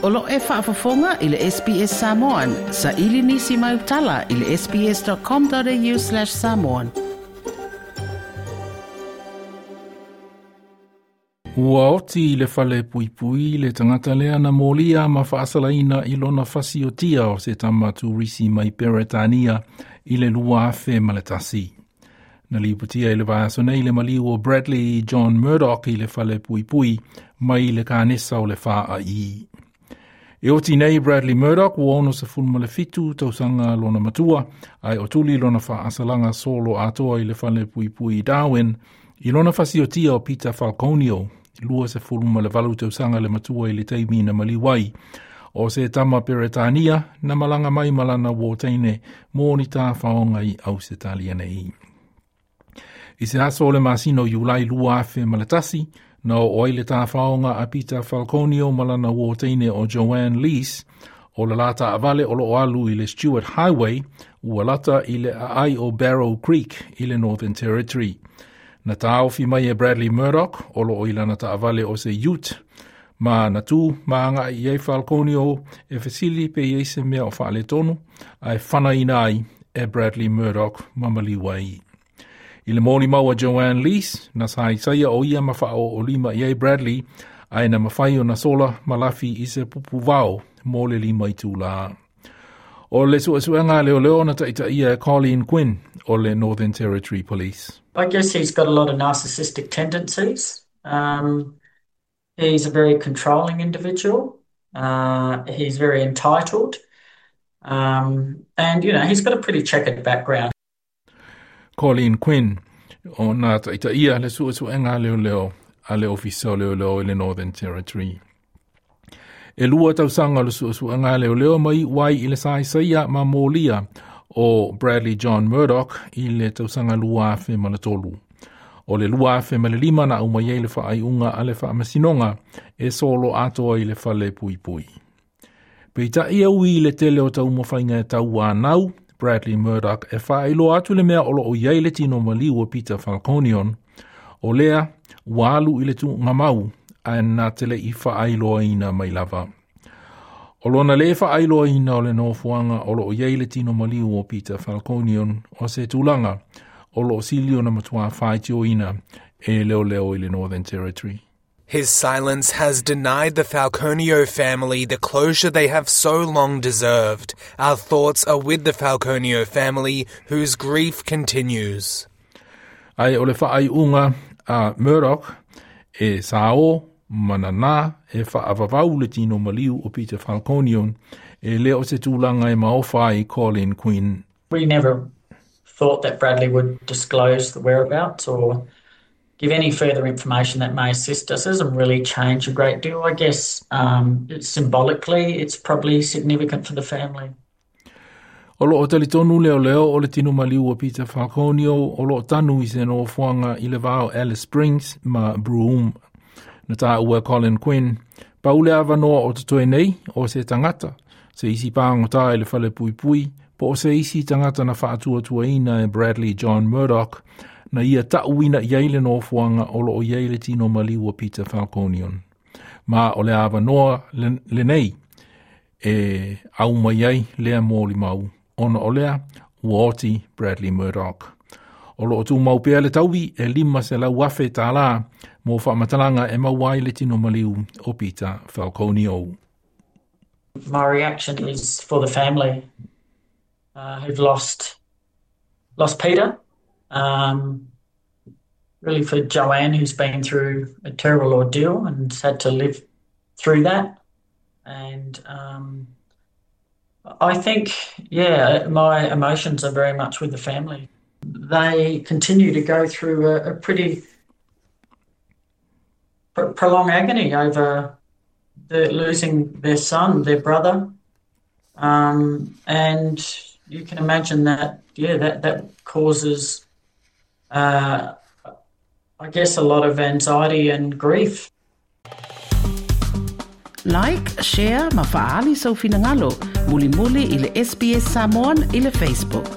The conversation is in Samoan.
O lo e faafofoga i le SBS Samoan. Saili nisi mau tala i le sbs.com.au/samoan. Ua oti i le fale puipui le tagata lea na molia ma faasalaina i lona fasiotia o se tama turisi mai Peretania i le 2001. Na lipotia i le vaiaso nei le maliu o Bradley John Murdoch i le fale puipui mai le kanesa o le FAI. E oti nei Bradley Murdoch ua 67 tausaga lona matua, ae o tuli lona faasalaga solo atoa i le fale puipui i Darwin, i lona fasiotia o Peter Falconio, 28 tausaga le matua i le taimi na maliu ai, o se tama Peretania na malaga mai ma lana uō teine mō ni tāwhaonga i Ausetalia nei. I se aso o le masina o Iulai 2001, na oo ai le tāwhaonga a Peter Falconio ma lana uō teine o Joanne Lees, o le la taavale o loo alu i le Stuart Highway, ua lata i le aai o Barrow Creek i le Northern Territory. Na tāofi mai e Bradley Murdoch, o loo i lana taavale o se ute, ma na tū ma agai i ai Falconio e fesili pe i ai se mea o faaletonu, ae fanaina ai e Bradley Murdoch ma maliu ai. I le molimau a Joanne Lees, na saisaia o ia ma faaooolima i ai Bradley, ae na mafai ona sola ma lafi i se pupu vao mo le 5 itulā. O le suesuega a leoleo na taitaia e Colleen Quinn o le Northern Territory Police. I guess he's got a lot of narcissistic tendencies. He's a very controlling individual. He's very entitled. And, you know, he's got a pretty checkered background. Colleen Quinn, o na taitaia le suesuega a leoleo a le Ofisa o Leoleo i le Northern Territory. E 2 tausaga o le suesuega a leoleo ma iu ai i le saisaia ma molia o Bradley John Murdoch i le tausaga 2003. O le 2005 na aumai ai le faaiuga a le faamasinoga e solo atoa i le fale puipui. Peitai e ui i le tele o taumafaiga e tauanau, Bradley Murdoch e faailoa atu le mea o loo i ai le tino maliu o Peter Falconion, o lea ua alu i le tuugamau ae na te le i faailoaina mai lava. O lona le faailoaina o le nofoaga o loo i ai le tino maliu o Peter Falconion o se tulaga o loo sili ona matua faitioina e leoleo i le Northern Territory. His silence has denied the Falconio family the closure they have so long deserved. Our thoughts are with the Falconio family, whose grief continues. Ae o le faaiuga a Murdoch e sao ma nanā e faavavau le tino maliu o Peter Falconion e le o se tulaga e maofa ai Colleen Quinn. We never thought that Bradley would disclose the whereabouts or give any further information that may assist us. It doesn't really change a great deal. I guess symbolically it's probably significant for the family. O loo talitonu leoleo o le tino maliu o Peter Falconio o loo tanu i se nofoaga i le va o Alice Springs ma Broome. Na taua e Colin Quinn, pau le avanoa o totoe nei o se tagata, se isi pāgotā i le fale puipui, po o se isi tagata na faatuatuaina e Bradley John Murdoch, na ia tauina i ai le nofoaga o loo i ai le tino maliu o Peter Falconion. Ma o le avanoa lenei e aumai ai lea molimau, ona o lea ua oti Bradley Murdoch. O loo tumau pea le taui e 500,000 tālā mō faamatalaga e maua ai le tino maliu o Peter Falconio. My reaction is for the family who've lost Peter. Really for Joanne, who's been through a terrible ordeal and had to live through that. And I think, yeah, my emotions are very much with the family. They continue to go through a pretty prolonged agony over losing their son, their brother. And you can imagine that, yeah, that causes, I guess, a lot of anxiety and grief. Like, share, ma faaali sou finagalo, mulimuli i le SBS Samoan i le Facebook.